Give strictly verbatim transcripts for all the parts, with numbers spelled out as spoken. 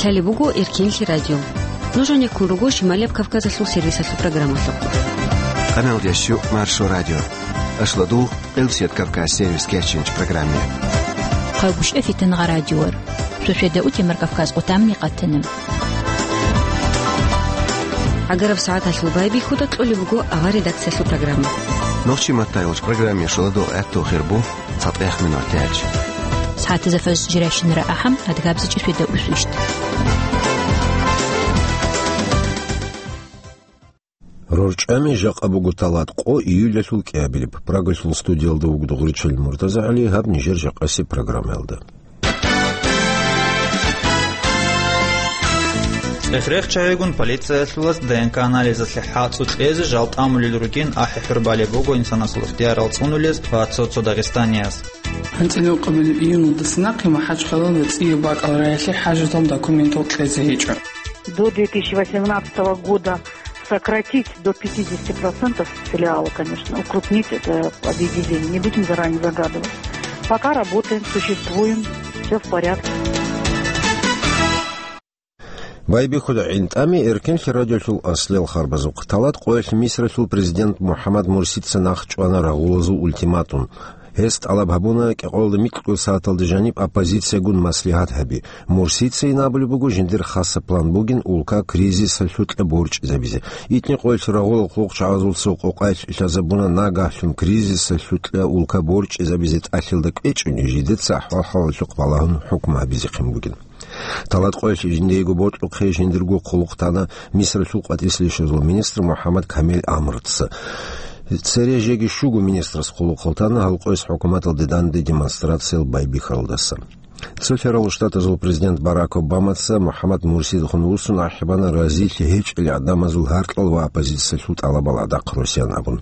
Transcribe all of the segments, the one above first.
Лъалеб буго Эркенлъи радио. Нуж гьанеккун руго Шималияб Кавказалъул сервисалъул программалъухъ. Къаналдеш щу Маршо радио. Ашладул Къилбсият Кавказ сервис кечинч программе. Хъагушев Фитангъа радиор. Суседа утемар Кавказ къутамни къатана. Агараб сагӀаталъул байбихьуда кьолеб буго авар редакциялъул программа. Нохчи маттайолч программе шуладул гӀатту хирбу цатӀех минут тяч. СагӀатазда фаз жиращинара ахӀам, адгабзичӀи светда усвищт. РорчӀами жакъа буго талат къо июлалъул кӀиабилеб. Прагасул студиялда вугода Гъурчел МуртазагӀали, гьаб нижер жакъасеб программаялда. ЦӀехрех чагӀигун полициялъулас Д Н К анализалъе хӀацӀу кьезе жал тӀамулел ругин ахӀи-хӀур балеб буго инсанасул ихтиярал цӀунулез ва цо-цо дагъистанияс. АнцӀила ункъабилеб июньалдаса нахъе МахӀачхъалалда цӀияб бакӀал раялъе хӀажатал документал кьезе гьечӀо. До две тысячи восемнадцатого года сократить до пятидесяти процентов филиалы, конечно, укрупнить это объединение. Не будем заранее загадывать. Пока работаем, существуем, все в порядке. Байбихьуда гӀинтӀами Эркенлъи радиолъул аслиял харбазухъ. Талат къоялъ Мисралъул президент МухӀаммад Мурсица нахъ чӀвана рагъулазул ультиматум. Гьес тӀалаб гьабуна кӀикъоялда микьго сагӀаталда жаниб оппозициягун маслигьат гьаби. Мурсицайин абулеб буго, жиндир хасаб план бугин улка кризисалъукьа борчӀизабизе. ИтӀни къоялъ рагъулал хъулухъчагӀазул цо къокъаялъ лъазабуна нагагьлъун кризисалъукьа улка борчӀизабизе тӀалъилда кӀвечӀони, жидеца ахӀвал-хӀалалъухъ балагьун хӀукму гьабизехъин бугин. Талат къоялъ жиндиего бокьухъе жиндирго хъулухъ тана Мисралъул къватӀислъи щвезул министр МухӀаммад Камел Амрца. Цере жеги щуго министрас хъулухъал тана гьал къояс хӀукуматалде данде демонстрациял байбихьаралдаса. Цо лъаралъул Штатазул президент Барак Обамаца МухӀаммад Мурсидехун вуссун ахӀи бана разилъи гьечӀел гӀадамазул гьаркьал ва оппозициялъул тӀалабал гӀадахъ росиян абун.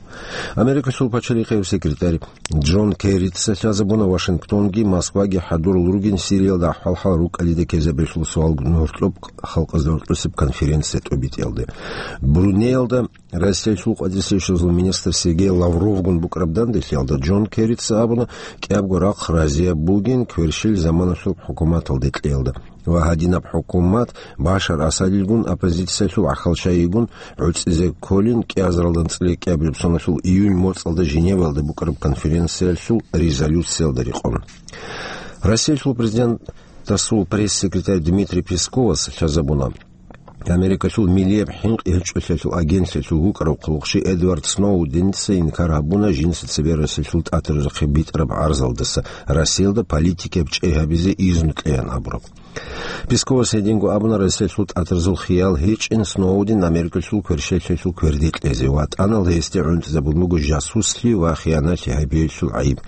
Америкалъул пачалихъияб секретарь Джон Керрица лъазабуна Вашингтонги Москваги хӀадурал ругин Сириялда ахӀвал-хӀал рукӀалида ккезабиялъул суалгун гьоркьоб халкъазда гьоркьосеб конференция тӀобитӀиялде. Брунеялда Россиялъул къватӀислъи щвезул министр Сергей Лавровгун букӀараб данделъиялда Джон Керрица абуна, кӀиябго рахъ разияб бугин кверщел заманалъуб хӀукуматалде кьеялда. Ва гьадинаб хӀукумат Башар Асадилгун, оппозициялъул гӀахьалчагӀигун гӀуцӀизе кколин кӀиазаралда анцӀила кӀиабилеб соналъул июнь моцӀалда Женеваялда букӀараб конференциялъул резолюциялда рекъон. Россиялъул президентасул пресс-секретарь Дмитрий Песковас лъазабуна, Америкалъул миллияб хӀинкъи гьечӀолъиялъул агентлъиялъул вукӀарав хъулухъчи Эдвард Сноуденца инкар гьабуна жинца цебе Россиялъул ТӀатарзухъе битӀараб гӀарзалдаса Россиялда политикияб чӀей гьабизе изну кьеян абураб. Песковас гьединго абуна Россиялъул ТӀатарзул хиял гьечӀин Сноуден Америкалъул кверщелъиялъул кверде кьезе ва тӀанал гьесде гӀунтӀизабун буго жасуслъи ва хиянатлъи гьабиялъул гӀайиб.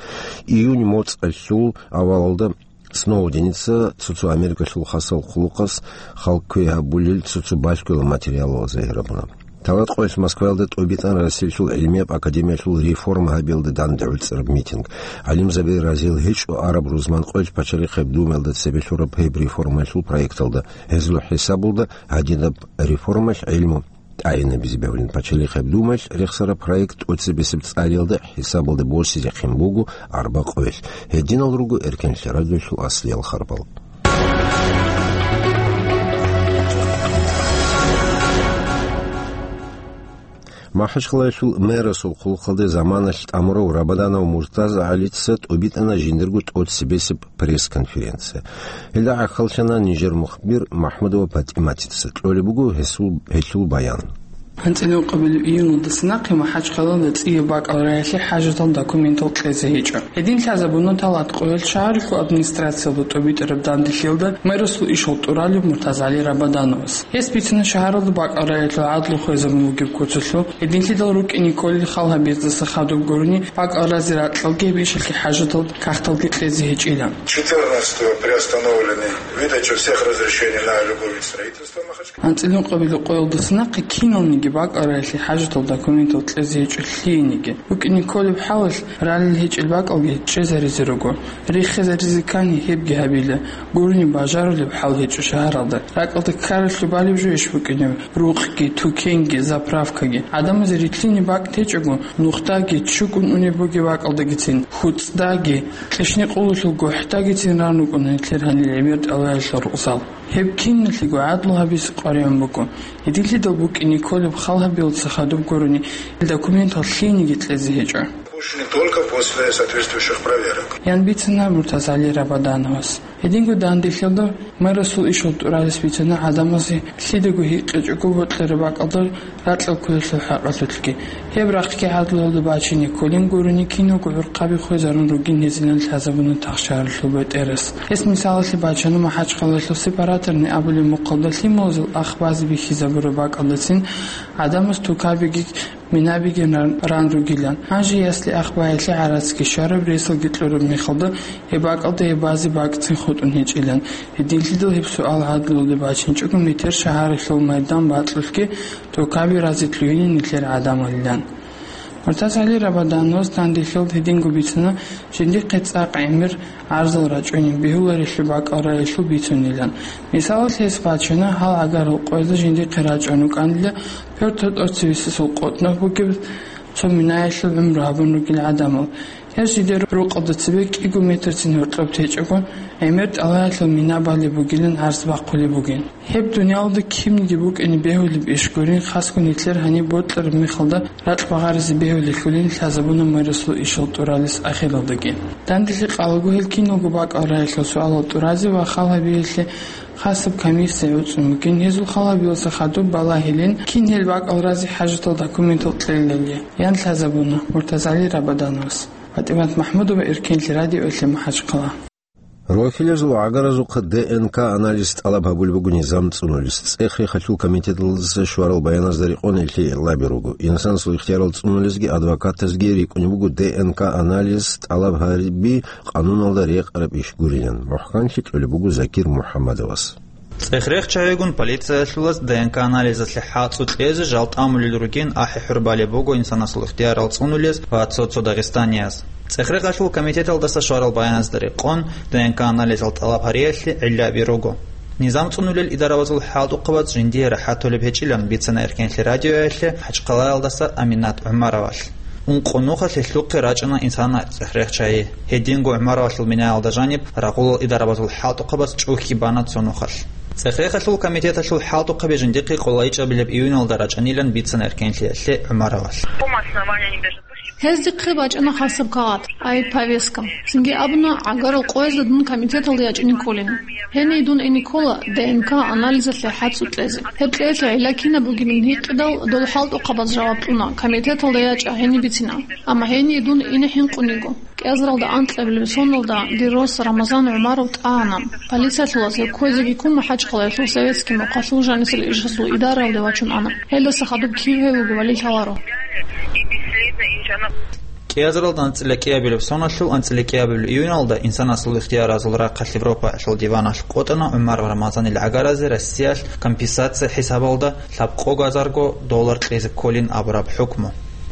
Июнь моцӀалъул авалалда Сноуденица цо-цо Америкалъул хасал хъулухъас халкъ квей гьабулел цо-цо балъгоял материалал загьир гьабуна. Талат къоялъ Москваялда тӀобитӀана Россиялъул гӀилмияб академиялъул реформа гьабиялда данде гӀуцӀараб митинг. ГӀалимзаби разил гьечӀо араб рузман къоялъ пачалихъеб думаялда цебе лъураб гьеб реформаялъул проекталда. Гьезул хӀисабалда гьадинаб реформалъ гӀилму тӀагӀинабизе бегьулин пачалихъеб думаялъ рехсараб проект тӀоцебесеб цӀариялда хӀисабалда босизехъин буго арба къоялъ. Гьединал руго Эркенлъи радиолъул аслиял харбал. МахӀачхъалаялъул мэрасул хъулухъалде заманалъ тӀамурав Рабаданов МуртазагӀалица тӀобитӀана жиндирго тӀоцебесеб пресс-конференция. Гьелда гӀахьаллъана нижер мухбир МахӀмудова ПатӀиматица. Кьолеб буго гьесул, гьелъул баян. АнцӀила ункъабилеб июньалдаса нахъе МахӀачхъалалда цӀияб бакӀал раялъе хӀажатал документал кьезе гьечӀо. Гьедин лъазабуна Талат къоялъ шагьаралъул администрациялда тӀобитӀараб данделъиялда мэрасул ишал тӀуралев МуртазагӀали Рабадановас. Гьес бицина шагьаралда бакӀал раялъул гӀадлу хвезабун вугеб куцалъул, гьединлъидал рукӀине кколел хал гьабиздаса хадуб гурони, бакӀал разе ракьалги гьеб ишалъе хӀажатал кагъталги кьезе гьечӀила. Четырнадцатого приостановлены выдача всех разрешений на любой вид строительства в Махачкале. АнцӀила ункъабилеб къоялдаса нахъе киналниги бакӀал раялъе хӀажатал документал кьезе гьечӀо лъиениги. БукӀине кколеб хӀалалъ ралел гьечӀел бакӀалги чӀезаризе руго. Риххизаризе ккани гьебги гьабила. Гурони бажарулеб хӀал гьечӀо шагьаралда. РакӀалда ккаралъуб балеб жойищ букӀинеб рукъги, тукенги, заправкаги? ГӀадамазе рилълъине бакӀ течӀого, нухдаги, чукӀун унеб бугеб бакӀалдагицин, хуцӀдаги, кьишни къулулъул гохӀдагицин ран рукӀуна нилъер гьалил гӀемер тӀалаялъул рукъзал. Гьеб киналъего гӀадлу гьабизе къваригӀун буго. Гьединлъидал букӀине кколеб хал гьабиялдаса хадуб гурони, документал лъиениги кьезе гьечӀо. Пущены только после соответствующих проверок. Ян бицана МуртазгӀали Рабадановас. Гьединго данделъиялда мэрасул ишал тӀуралес бицана гӀадамазе лъидаго гьикъичӀого бокьараб бакӀалда ракьал кколелъул хӀакъалъулъги. Гьеб рахъги гӀадлуялда бачине кколин гурони киналго гӀурхъаби хвезарун ругин гьезинан лъазабуна тахшагьаралъул бетӀерас. Гьес мисалалъе бачана МахӀачхъалаялъул сепараторный абулеб мухъалда лъималазул ах базе бихьизабураб бакӀалдацин гӀадамаз тукабиги минабиги ран, ран ругилан. Гьанже ясли ах баялъе гӀарацги щвараб, ресалги кьураб мехалда гьеб бакӀалда гьеб базе бакӀцин хутӀун гьечӀилан. Гьединлъидал гьеб суал гӀадлуялде бачинчӀого метер шагьаралъул майдан бакьулъги тукаби разе лъугьинин нилъер гӀадамалилан. МуртазгӀали Рабадановас данделъиялда гьединго бицана жиндихъе цӀакъ гӀемер гӀарзал рачӀунин бегьуларелъул бакӀал раялъул бицунилан. Мисалалъе гьес бачана гьал гӀагарал къоялда жиндихъе рачӀун рукӀанила, Пётр тӀоцевесасул къотӀноб бугеб цо минаялъул гӀумру гьабун ругел гӀадамал. Гьез жидер рукъалда цебе кӀиго метрцин гьоркьоб течӀого, гӀемер тӀалаялъул мина балеб бугилан гӀарз бахъулеб бугин. Гьеб дуниялалда кинниги букӀине бегьулеб иш гурин, хасго нилъер гьаниб бокьараб мехалда ракь багъаризе бегьулелъулин лъазабуна мэрасул ишал тӀуралес ахиралдаги. Данделъи къалаго гьел киналго бакӀал раялъул суалал тӀуразе ва хал гьабиялъе хасаб комиссия гӀуцӀун бугин, гьезул хал гьабиялдаса хадуб балагьилин, кин гьел бакӀал разе хӀажатал документал кьелилали, ян лъазабуна МуртазгӀали Рабадановас. ПатӀимат МахӀмудова, Эркенлъи радиоялъе МахӀачхъала. Рохьилазул гӀагаразухъа Д Н К анализ тӀалаб гьабулеб буго низам цӀунулес. ЦӀех-рехалъул комитеталдаса щварал баяназда рекъон гьелъие гӀиллаби руго. Инсанасул ихтиярал цӀунулезги адвокатазги рикӀкӀунеб буго Д Н К анализ тӀалаб гьариби къануналда рекъараб иш гурилан. МухӀканлъи кьолеб буго Закир МухӀаммадовас. ЦӀех-рех чагӀигун полициялъулаз Д Н К анализалъе хӀацӀу кьезе жал тӀамулел ругин ахӀи-хӀур балеб буго инсанасул ихтиярал цӀунулез ва цо-цо дагъистанияз. ЦӀех-рехалъул комитеталдаса щварал баяназда рекъон, Д Н К анализал тӀалаб гьариялъе гӀиллаби руго. Низам цӀунулел идарабазул хӀалтӀухъабаз жиндие рахӀат толеб гьечӀилан бицана Эркенлъи радиоялъе МахӀачхъалаялдаса Аминат ГӀумаровалъ. Ункъо нухалъ гьелъухъе рачӀана инсана цӀех-рех чагӀи. Гьединго ГӀумаровалъул минаялда жаниб рагъулал идарабазул хӀалтӀухъабаз чӀухьги бана цо нухалъ. ЦӀех-рехалъул комитеталъул хӀалтӀухъаби жиндихъе къолайчӀабилеб июналда рачӀанилан бицана Эркенлъиялъе ГӀумаровалъ. Гьез дихъе бачӀана хасаб кагъат, ай, повестка. Цинги абуна, гӀагарал къоязда дун комитеталде ячӀине кколин. Гьение дун ине ккола Д Н К анализалъе хӀацӀу кьезе. Гьеб кьеялъе гӀилла кинаб бугебин гьикъидал, дол хӀалтӀухъабаз жаваб кьуна, комитеталда ячӀа, гьениб бицина. Амма гьение дун ине хӀинкъун йиго. КӀиазаралда анкьабилеб соналда дир рос Рамазан ГӀумаров тӀагӀана. Полициялъулаз гьев кквезеги ккун МахӀачхъалаялъул советский мухъалъул жанисел ишазул идараялде вачун ана. Гьелдаса хадуб кив гьев вугевали лъаларо. КӀиазаралда анцӀила кӀиабилеб соналъул анцӀила кӀиабилеб июналда инсанасул ихтияразул рахъалъ Европаялъул диваналъ къотӀана ГӀумаров Рамазанил гӀагаразе Россиялъ компенсация хӀисабалда лъабкъо газарго доллар кьезе кколин абураб хӀукму.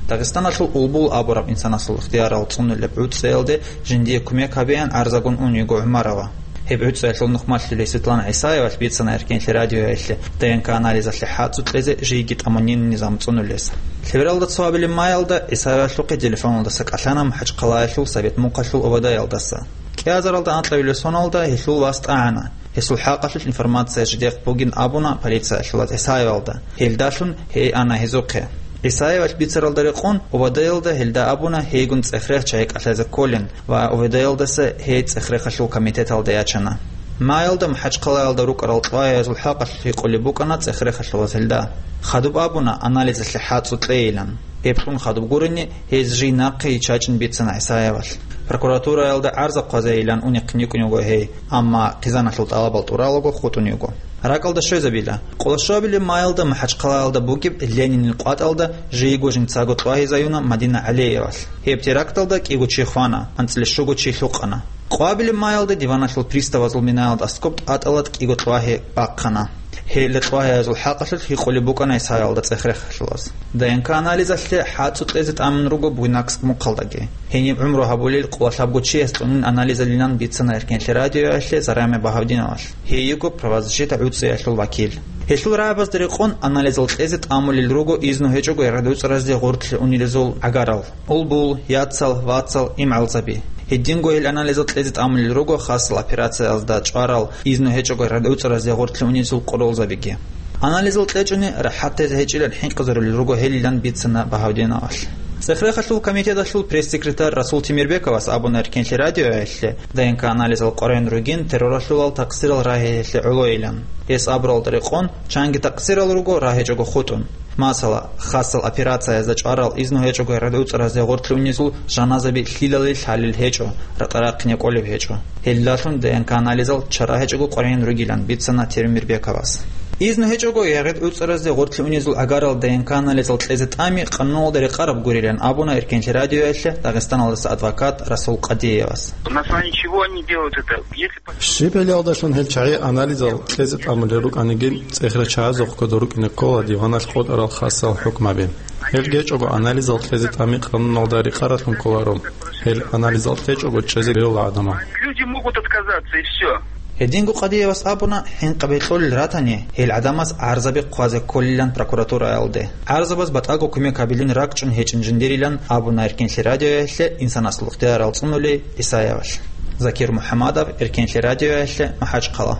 Дагъистаналъул Улбул абураб инсанасул ихтиярал цӀунулеб гӀуцӀиялде жиндие кумек гьабеян гӀарзагун ун йиго ГӀумарова. Гьеб гӀуцӀиялъул нухмалъулей Светлана ГӀисаевалъ бицана Эркенлъи радиоялъе Д Н К анализалъе хӀацӀу кьезе жийги тӀамунин низам цӀунулес. Лъебералда цо абилеб маялда ГӀисаевалъухъе телефоналдаса кӀалъана МахӀачхъалаялъул Совет мухъалъул О В Д-ялдаса. КӀиазаралда анкьабилеб соналда гьелъул вас тӀагӀана. Гьесул хӀакъалъулъ информация жидехъ бугин абуна полициялъулаз ГӀисаевалда. Гьелдалъун гьей ана гьезухъе. ГӀисаевалъ бицаралда рекъон, О В Д-ялда гьелда абуна гьейгун цӀех-рех чагӀи кӀалъазе кколин ва О В Д-ялдаса гьей цӀех-рехалъул комитеталде ячана. Маялда МахӀачхъалаялда рукӀарал тӀагӀиязул хӀакъалъулъ гьикъулеб букӀана цӀех-рехалъулаз гьелда. Хадуб абуна анализалъе хӀацӀу кьейилан. Гьеб кьун хадуб гурони, гьез жий нахъе йиччачӀин бицана ГӀисаевалъ. Прокуратураялда гӀарза хъвазейилан унехъин йикӀун йиго гьей, амма хъизаналъул тӀалабал тӀуралаго хутӀун йиго. РакӀалда щвезабила. Къоло щуабилеб маялда МахӀачхъалаялда бугеб Ленинил къватӀалда жийго жинцаго кьвагьизаюна Мадина ГӀалиевалъ. Гьеб теракталда кӀиго чи хвана, анцӀила щуго чи лъукъана. Къоабилеб маялда диваналъул приставазул минаялда аскоб тӀатӀалда кӀиго кьвагьи бахъана. Гьелда кьвагьиязул хӀакъалъулъ гьикъулеб букӀана ГӀисаевалда цӀех-рехалъулаз. Д Н К анализалъе хӀацӀу кьезе тӀамун руго Буйнакск мухъалдаги. Гьениб гӀумру гьабулел къоло лъабго чияс цӀунин анализалилан бицана Эркенлъи радиоялъе Зарема Багьавдиновалъ. Гьей йиго правозащита гӀуцӀиялъул вакил. Гьелъул рагӀабазда рекъон анализал кьезе тӀамулел руго изну гьечӀого радуцӀаразде гъорлъе унелезул гӀагарал: Улбул, Яцал, Вацал, ИмгӀалзаби. Гьединго гьел анализал кьезе тӀамулел руго хасал операциязда чӀварал, изну гьечӀого рагӀуцӀаразде гъорлъе унезул къоролзабиги. Анализал кьечӀони рахӀат тезе гьечӀилан хӀинкъизарулел руго гьелилан бицана Багьавдиновалъ. ЦӀехрехалъул комитеталъул пресс-секретарь Расул Темирбековас абуна Эркенлъи радиоялъе, ДНК-анализал къваригӀун ругин терроралъулал такъсирал рагьиялъе гӀолойилан. Гьес абуралда рекъон, чанги такъсирал руго рагьичӀого хутӀун. Масала, хасал операциязда чӀварал, изну гьечӀого рагӀуцӀаразде гъорлъе унезул жаназаби лъилали лъалел гьечӀо, ракӀа-рахъине кӀолеб гьечӀо. Гьелдалъун ДНК-анализал чара гьечӀого къваригӀун ругилан бицана Темирбековас. Изну гьечӀого рагӀуцӀаразде гъорлъе унезул гӀагарал ДНК-анализал кьезе тӀами къануналда рекъараб гурилан абуна Эркенлъи радиоялъе Дагъистаналдаса адвокат Расул Къадиевас. На основании чего они делают это? Если по- Щиб гьелиялдалъун гьел чагӀи анализал кьезе тӀамулел рукӀаниги, цӀехрачагӀазухъ кодо рукӀине ккола диваналъ къотӀарал хасал хӀукмаби. Гьел гьечӀого анализал кьезе тӀами къануналда рекъаралъун кколаро. Гьел анализал кьечӀого чӀезе бегьула гӀадамал. Люди могут отказаться, и всё. Гьединго Къадиевас абуна, хӀинкъаби кьолел ратани, гьел гӀадамаз гӀарзаби хъвазе кколилан прокуратураялде. ГӀарзабаз батӀаго кумек гьабилин ракӀчӀун гьечӀин жиндирилан абуна Эркенлъи радиоялъе инсанасул ихтиярал цӀунулей Исаевалъ. Закир МухӀамадов, Эркенлъи радиоялъе, МахӀачхъала.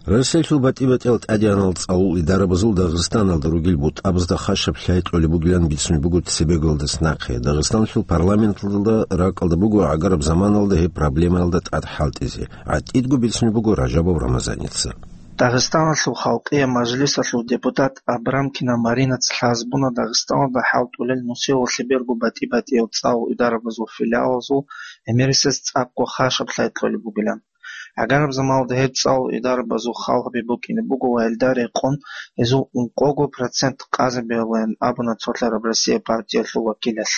Россиялъул батӀи-батӀиял тӀадегӀанал цӀалул идарабазул Дагъистаналда ругел бутӀабазда хашаб лъай кьолеб бугилан бицунеб буго цебеголдаса нахъе. Дагъистаналъул парламенталда ракӀалда буго гӀагараб заманалда гьеб проблемаялда тӀад хӀалтӀизе. ГӀатӀидго бицунеб буго Ражабов Рамазаница. Дагъистаналъул халкъияб мажлисалъул депутат Абрамкина Маринаца лъазабуна Дагъистаналда хӀалтӀулел нусиялъе берго батӀи-батӀиял цӀалул идарабазул филиалазул гӀемерисез цӀакъго хашаб лъай кьолеб бугилан. ГӀагараб заманалда гьеб цӀалул идарабазул хал гьабиб букӀине буго ва гьелда рекъон гьезул ункъого процент къазе бегьулаан абуна цолъараб Россия партиялъул вакилалъ.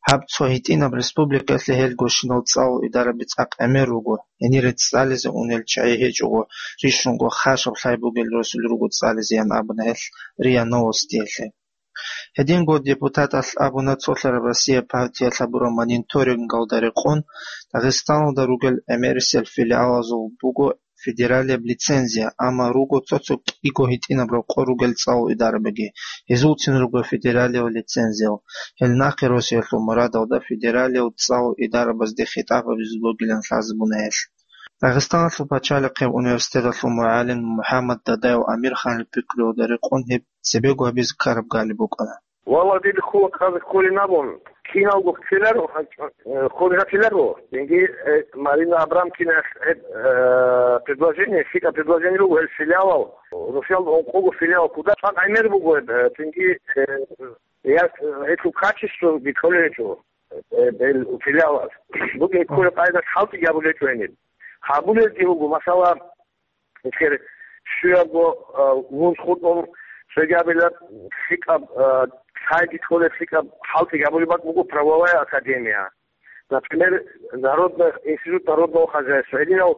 Гьаб цо гьитӀинаб республикаялъе гьелгощинал цӀалул идараби цӀакъ гӀемер руго, гьенире цӀализе унел чагӀи гьечӀого, рищунго хашаб лъай бугел росулел руго цӀализеян абуна гьелъ РИА Новостиялъе. Гьединго депутаталъ абуна цолъараб Россия партиялъ гьабураб мониторингалда рекъон, Дагъистаналда ругел гӀемерисел филиалазул буго федералияб лицензия, амма руго цо-цо кӀиго гьитӀинаб рокъор ругел цӀалул идарабиги, гьезулцин руго федералияб лицензиял. Гьел нахъе росиялъул мурадалда федералияб цӀалул идарабазде хитӀаб гьабизе бугилан лъазабуна гьелъ. Дагъистаналъул пачалихъеб университеталъул мугӀалим МухӀаммад Дадаев Амирханил пикруялда рекъон гьеб цебего гьабизе ккараб гали букӀана. Валлагь, дида хьула хъазе кколин абун, киналго ккеларо, э, хъули гьатиларо. Цинги, э, Марина Абрамкина, э, э, предложение, лъикӀаб предложение руго, гьел филиалал, Русиялда ункъого филиал ккола, цӀакъ гӀемер буго, э, цинги, э, я, э, гьелъул качество бикьулеб гьечӀо, э, гьел филиалаз. Бугеб кколеб къайдалъ хӀалтӀиги гьабулеб гьечӀо гьениб. Гьабулебги буго, масала, Эсер щуябго, а, вуз хутӀун, цоги абила лъикӀаб, а, лъайги кколеб, лъикӀаб хӀалтӀиги гьабулеб бакӀ буго правовая академия. Например, народный, институт народного хозяйства. Гьединал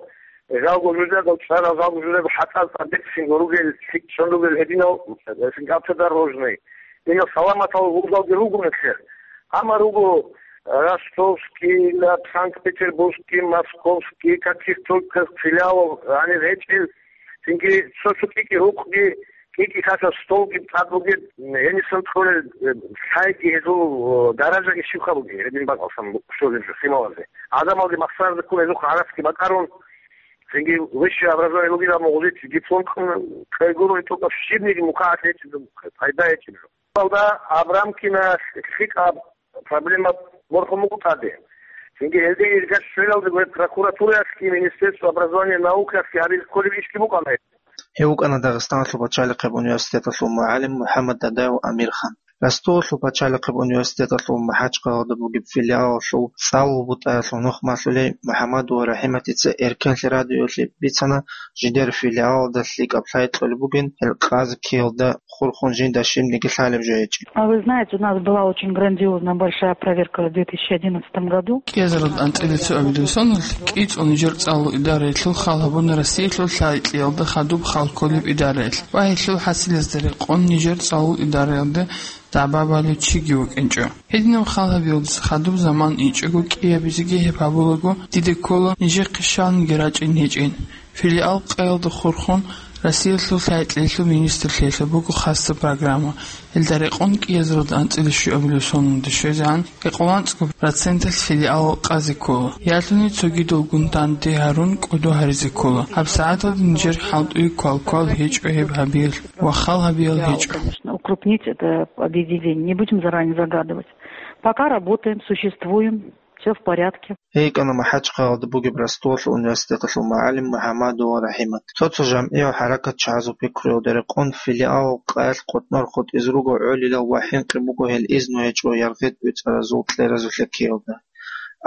жалго жужадал чӀарал жалго жужадал хӀатӀал тӀадегӀлъинго ругел, лъикӀ чӀун ругел гьединал, э, автодорожный. Гьединал саламатал вузалги руго нилъер. Амма руго Ростовский, Санкт-Петербургский, Московский, каких только филиалов гьанир гьечӀел, цинги цо-цо кӀикӀи рукъги, кӀикӀи хасаб столги тӀад бугеб, гьенисан кьолел, э, лъайги гьезул, э, даражаги щибха бугеб, гьедин бакӀалъан щолеб жо лъималазе. Гьадамалги махсаразе ккун гьезухъ гӀарацги бакӀарун, цинги высшее образование бугеб, амма гъозие диплом кьун, кьел гурони тӀокӀаб щибниги мукъагӀат гьечӀеб жо, пайда гьечӀеб жо. Алда Абрамкина лъикӀаб проблема борхун буго тӀаде. Цинги гьелде иргаш щвелалде гьеб прокуратураялъги, Министерство образования и наукаялъги гьабизе кколеб ишги букӀана. Гьев вукӀана Дагъистаналъул пачалихъеб университеталъул мугӀалим МухӀаммад Дадаев Амирхан. Ростовалъул пачалихъеб университеталъул МахӀачхъалалда бугеб филиалалъул цӀалул бутӀаялъул нухмалъулей МухӀаммад ва РахӀиматица Эркенлъи радиоялъе бицана, жидер филиалалда лъикӀаб лъай кьолеб бугин, гьел къазе ккеялда хурхун жинда щибниги лъалеб жо гьечӀин. А вы знаете, у нас была очень грандиозная большая проверка в две тысячи одиннадцатом году. КӀиазаралда анцӀила цоабилеб соналъ кӀицӀул нижер цӀалул идараялъул хал гьабуна Россиялъул лъай кьиялда хадуб хал кколеб идараялъ ва гьелъул хӀасилазда рекъон нижер цӀалул идараялда дагӀба балев чиги вукӀинчӀо. Гьединаб хал гьабиялдаса хадуб заман инчӀого кӀиабизеги гьеб гьабулаго, дида ккола нижехъе щалниги рачӀин гьечӀин. Филиал къаялда хурхун, Россиялъул лъай-кьеялъул министрлъиялъул буго хасаб программа. Гьелда рекъон кӀиазаралда анцӀила щуабилеб соналда щвезегӀан, кӀикъоялда анцӀго проценталъ филиалал къазе ккола. Ялъуни цогидалгун данде гьарун кӀодо гьаризе ккола. ГьабсагӀаталда нижер хӀалтӀуе квал-квал гьечӀо гьеб гьабиялъ ва хал гьабиял гьечӀо. Конечно, укрупнить это объединение. Не будем заранее загадывать. Пока работаем, существуем, всё в порядке. Гьей кӀана МахӀачхъалада бугеб Ростовалъул университеталъул мугӀалим МухӀаммадова РахӀимат. Цо-цо жамгӀиял хӀаракатчагӀазул пикруялда рекъон филиалал къаялъ къотӀнор хутӀизе руго гӀолилал ва хӀинкъи буго гьел изну гьечӀо яргъи-тӀуцӀаразул кьеразулъе ккеялда.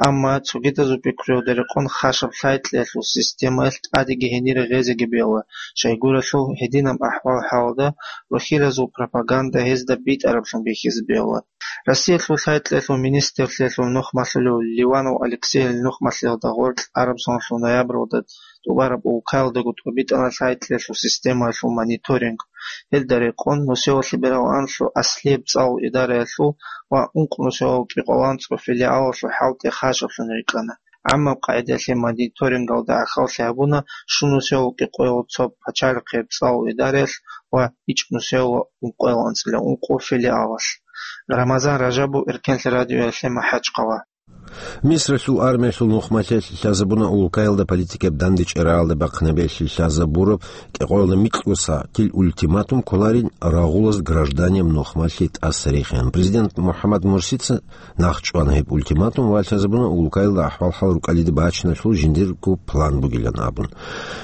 Амма цогидазул пикруялда рекъон хасаб лъай-кьеялъул системаялъ тӀадеги гьенире гъезеги бегьула, щайгурелъул гьединаб ахӀвал-хӀалалда рохьиразул пропаганда гьезда битӀараблъун бихьизе бегьула. Россиялъул лъай-кьеялъул министрлъиялъул нухмалъулев Ливанов Алексейил нухмалъиялда гъоркь араб соналъул ноябралда тӀубараб улкаялдаго тӀубитӀана лъай-кьеялъул системаялъул мониторинг. Гьелда рекъон нусиялъе бераланлъу аслияб цӀалул идараялъул ва ункъо нусиялъул кӀикъоялда анцӀго филиалалъул хӀалтӀи хасаблъун рикӀкӀана. ГӀаммаб къагӀидаялъе мониторингалда гӀахьаллъи гьабуна щун нусиялъул кӀикъоялда цо пачалихъияб цӀалул идараялъ ва ичӀнусиялъул ункъоялда анцӀила ункъо филиалалъ. Рамазан Ражабов, Эркенлъи радиоялъе, МахӀачхъала. Мисралъул армиялъул нухмалъиялъ лъазабуна улкаялда политикияб дандечӀаралда бахъинабиялъе лъазабураб кӀикъоялда микьго сагӀатил ультиматум кколарин рагъулаз гражданияб нухмалъи тӀаса рехеян. Президент МухӀаммад Мурсица нахъчӀвана гьеб ультиматум ва лъазабуна улкаялда ахӀвал-хӀал рукӀалида бачиналъул жиндирго план бугилан абун.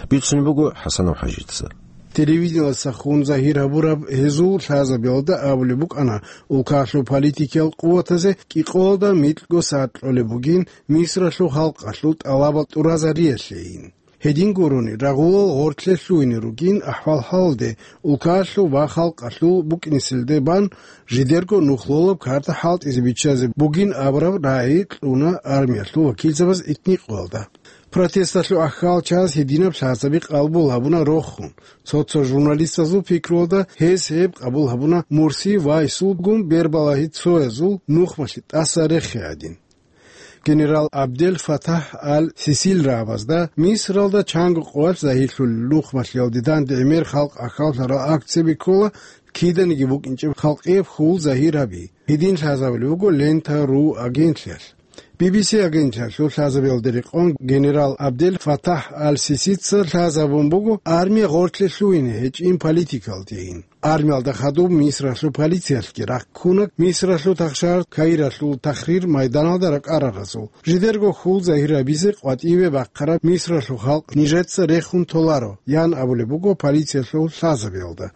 Бицунеб буго ХӀасанов ХӀажица. Телевидениялдаса хун загьир гьабураб гьезул лъазабиялда абулеб букӀана, улкалъул политикиял къуватазе кӀикъоялда микьго сагӀат кьолеб бугин Мисралъул халкъалъул тӀалабал тӀуразариялъейин. Гьедин гурони, рагъулал гъоркье лъугьине ругин ахӀвал-хӀалалде, улкалъул ва халкъалъул букӀинеселде бан, жидерго нухлолаб карта хӀалтӀизе биччазе бугин абураб рагӀи кьуна армиялъул вакилзабаз итникъоялда. Протесталъул ахӀвал чаз гьединаб лъазаби къабул гьабуна рохун. Цо-цо журналистазул пикруялда гьез гьеб къабул гьабуна Мурси ва гьесулгун бербалагьи цоязул нухмалъи тӀаса рехи гӀадин. Генерал Абдел Фатагь аль-Сисил рагӀабазда Мисралда чанго къоялъ загьирлъулел нухмалъиялде данде гӀемер халкъ ахӀвал-хӀал акцияби ккола, киданиги букӀинчӀеб халкъияб хьул загьир гьаби. Гьедин лъазабулеб буго Лента ру агентлъиялъ. Би би си агентлъиялъул лъазабиялда рекъон генерал Абдел Фатагь аль-Сисица лъазабун буго армия гъоркье лъугьине гьечӀин политикалдейин. Армиялда хадуб Мисралъул полициялъги рахъуна Мисралъул тахшар Каиралъул Тахрир майданалда ракӀараразул. Жидерго хьул загьир гьабизе къватӀиве бахъараб Мисралъул халкъ нижеца рехун толаро, ян абулеб буго полициялъул лъазабиялда.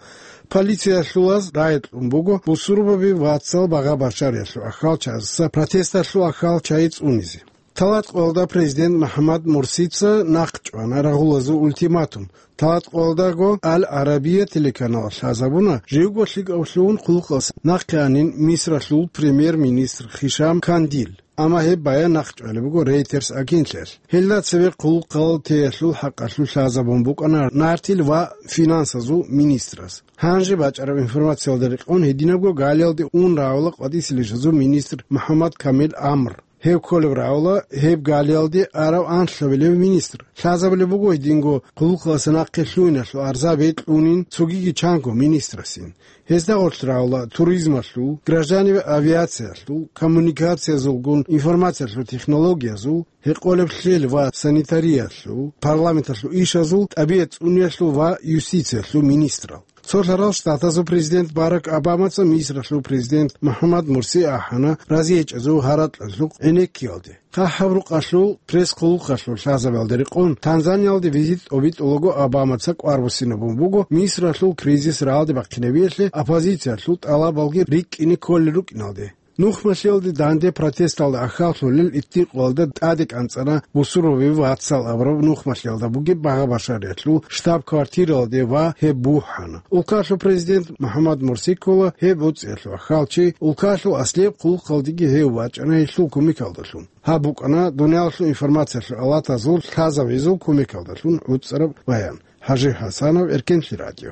Полициялъулаз рагӀи кьун буго бусурбаби вацал багъа-башариялъул ахӀвал чагӀазда протесталъул ахӀвал чагӀи цӀунизе. ТалатӀкъоялда президент МухӀаммад Мурсица нахъчӀвана рагъулазул ультиматум. ТалатӀкъоялдаго Аль-Арабия телеканалалъ лъазабуна, живго лъикӀавлъун хъулухъалъ нахъе анин Мисралъул премьер-министр Хишам Кандил. Амма гьеб баян нахъчӀвалеб буго Reuters агентлъиялъ. Гьелда цеве хъулухъалъ теялъул хӀакъалъулъ лъазабун букӀана нартил ва финансазул министраз. Гьанже бачӀараб информациялда рекъон гьединабго Галиялде ун рагӀула къватӀиселищазул министр МухӀаммад Камил Амр. Гьев кколеб рагӀула гьеб Галиялде арав анлъабилев министр. Лъазабулеб буго гьединго хъулухъалъ нахъе лъугьиналъул арзаби кьунин цогиги чанго министрасин. Гьезда гъорлъ рагӀула туризмалъул, гражданиве авиациялъул, коммуникациязулгун информациялъул технологиязул, гьекъолеб лъел ва санитариялъул, парламенталъул ишазул, тӀабигӀат цӀуниялъул ва юстициялъул министрал. Цо лъарал штатазул президент Барак Обамаца Мисралъул президент МухӀаммад Мурси ахӀана разиячӀезул гьаракьалъухъ гӀенеккиялде. ХъахӀаб рукъалъул пресс-хъулухъалъул лъазабиялда рекъон Танзаниялде визит тӀобитӀулаго Обамаца кӀвар буссинабун буго Мисралъул кризис рагӀалде бахъинабиялъе оппозициялъул тӀалабалги рикӀкӀине кколел рукӀиналде. Нухмалъиялде данде протесталда ахӀваллъулел итникъоялда тӀаде кӀанцӀана бусурбаби вацал абураб нухмалъиялда бугеб багъа-башариялъул штаб-квартиралде ва гьеб бухӀана. Улкалъул президент МухӀаммад Мурси ккола гьеб боцӀиялъул ахӀвалчи, улкалъул аслияб хъулухъалдеги гьев вачӀана гьелъул кумекалдалъун. Гьаб букӀана дуниялалъул информациялъул алатазул лъазабизул кумекалдалъун гӀуцӀараб баян. ХӀажи ХӀасанов, Эркенлъи радио.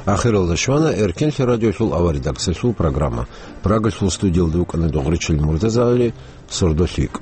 Ахиралда щвана Эркенлъи радиолъул аваридаксалъул программа. Прагалъул студиялда вукӀана Догъричил МуртазагӀали, сордо лъикӀ.